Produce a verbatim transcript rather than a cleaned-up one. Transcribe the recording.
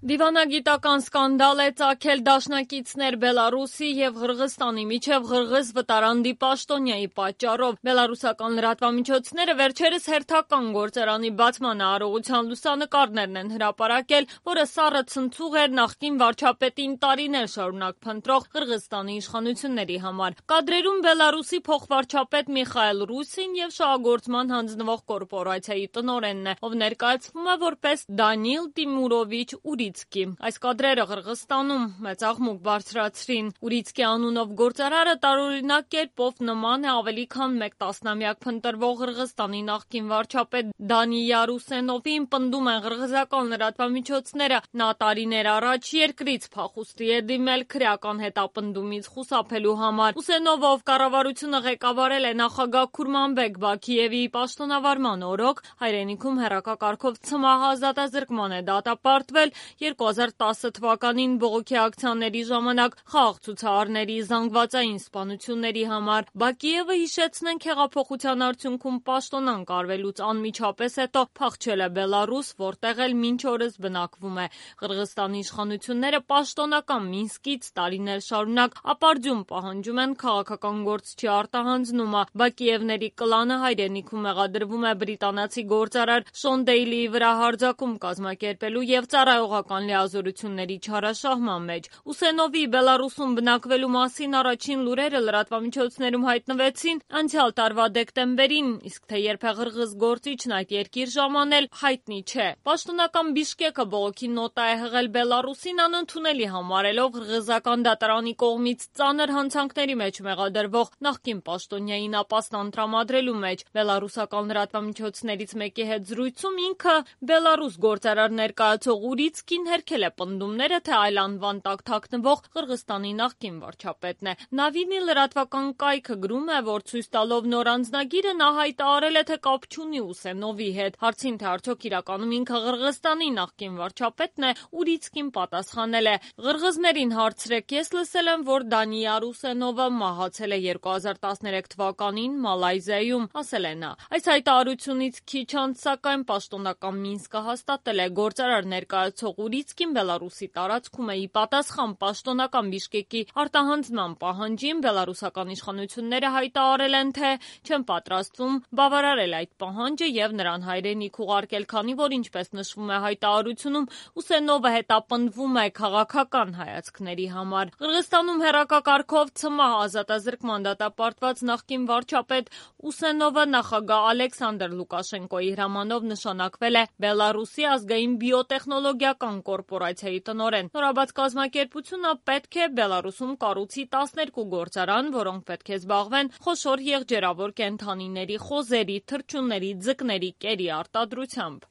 Դիվանագիտական սկանդալ է ծագել դաշնակիցներ Բելարուսի և Ղրղստանի միջև ղրղыз վտարանդի պաշտոնյայի պատճառով։ Բելարուսական լրատվամիջոցները վերջերս հերթական գործարանի բացման արարողության լուսանկարներն են հրապարակել, որը սառը ցնցուղ էր նախկին վարչապետին տարիներ շարունակ փնտրող Ղրղստանի իշխանությունների համար։ Կադրերում Բելարուսի փոխվարչապետ Միխայել Ռուսին և շահագործման հանձնվող կորպորացիայի տնօրենն է, ով ներկայացվում է որպես Դանիլ Տիմուրովիչ Ուրիցկի։ Այս կադրերը Ղրղստանում մեծ աղմուկ բարձրացրին։ Ուրիցկի անունով գործարարը տարօրինակ կերպով նման է ավելի քան մեկ տասնամյակ փնտրվող Ղրղստանի նախկին վարչապետ Դանի Յարուսենովին, պնդում են ղրղզական լրատվամիջոցները։ Նա տարիներ առաջ երկրից փախուստի է դիմել քրեական հետապնդումից խուսափելու համար։ Ուսենովը, ով կառավարությունը ղեկավարել է նախագահ Քուրմանբեկ Բաքիևի պաշտոնավարման օրոք, հայրենիքում հեռակակարգով ցմահ ազատազրկման է դատապարտվել երկու հազար տասը թվականին բողոքի ակցիաների ժամանակ խաղաղ ցուցարարների զանգվածային սպանությունների համար։ Բաքիևը, հիշեցնենք, հեղափոխության արդյունքում պաշտոնանկ արվելուց անմիջապես հետո փախչել է Բելարուս, որտեղ էլ մինչ օրս բնակվում է։ Ղրղստանի իշխանությունները պաշտոնական Մինսկից տարիներ շարունակ ապարդյուն պահանջում են քաղաքական գործչի արտահանձնումը։ Բաքիևների կլանը հայրենիքում մեղադրվում է բրիտանացի գործարար Շոն Դեյլիի վրա հարձակում կազմակերպելու և ծառայողական լիազորությունների չարաշահման մեջ։ Ուսենովի Բելարուսում բնակվելու մասին առաջին լուրերը լրատվամիջոցներում հայտնվեցին անցյալ տարվա դեկտեմբերին, իսկ թե երբ է ղրղыз գործիչն այդ երկիր ժամանել, հայտնի չէ։ Պաշտոնական Բիշկեկը բողոքի նոտա է հղել Բելարուսին, անընդունելի համարելով ղրղզական դատարանի կողմից ծանր հանցանքների մեջ մեղադրվող նախկին պաշտոնյային ապաստան տրամադրելու մեջ։ Բելարուսական լրատվամիջոցներից մեկի հետ զրույցում ինքը Բելարուս գործարար ներկայացող Ուրիցկին հերքել է պնդումները, թե այլ անվան տակ թաքնվող Ղրղստանի նախկին վարչապետն է։ Նավինի լրատվական կայքը գրում է, որ ցույց տալով նոր անձնագիրը նա հայտարարել է, թե կապ չունի Ուսենովի հետ։ Հարցին, թե արդյոք իրականում ինքը Ղրղստանի նախկին վարչապետն է, Ուրիցկին պատասխանել է. «Ղրղզներին հարցրեք, ես լսել եմ, որ Դանի Յարուսենովը մահացել է երկու հազար տասներեք թվականին Մալայզիայում», ասել է նա։ Այս հայտարարությունից քիչ անց, սակայն, պաշտոնական Մինսկը հաստատել է գործարար ներկայացող Ուրիցկին Բելարուսի տարածքում է ի պատասխան պաշտոնական Բիշկեկի արտահանձնման պահանջին։ Բելարուսական իշխանությունները հայտարարել են, թե չեն պատրաստվում բավարարել այդ պահանջը և նրան հայրենիք ուղարկել, քանի որ, ինչպես նշվում է հայտարարությունում, Ուսենովը հետապնդվում է քաղաքական հայացքների համար։ Ղրղստանում հեռակակարգով ցմահ ազատազրկման դատապարտված նախկին վարչապետ Ուսենովը նախագահ Ալեքսանդր Լուկաշենկոյի հրամանով նշանակվել է Բելարուսի ազգային բիոտեխնոլոգիական կորպորացիայի տնօրեն։ Նորաբաց կազմակերպությունը պետք է Բելարուսում կառուցի տասներկու գործարան, որոնք պետք է զբաղվեն խոշոր եղջերավոր կենդանիների խոզերի, թռչունների, ձկների, կերի արտադրությամբ։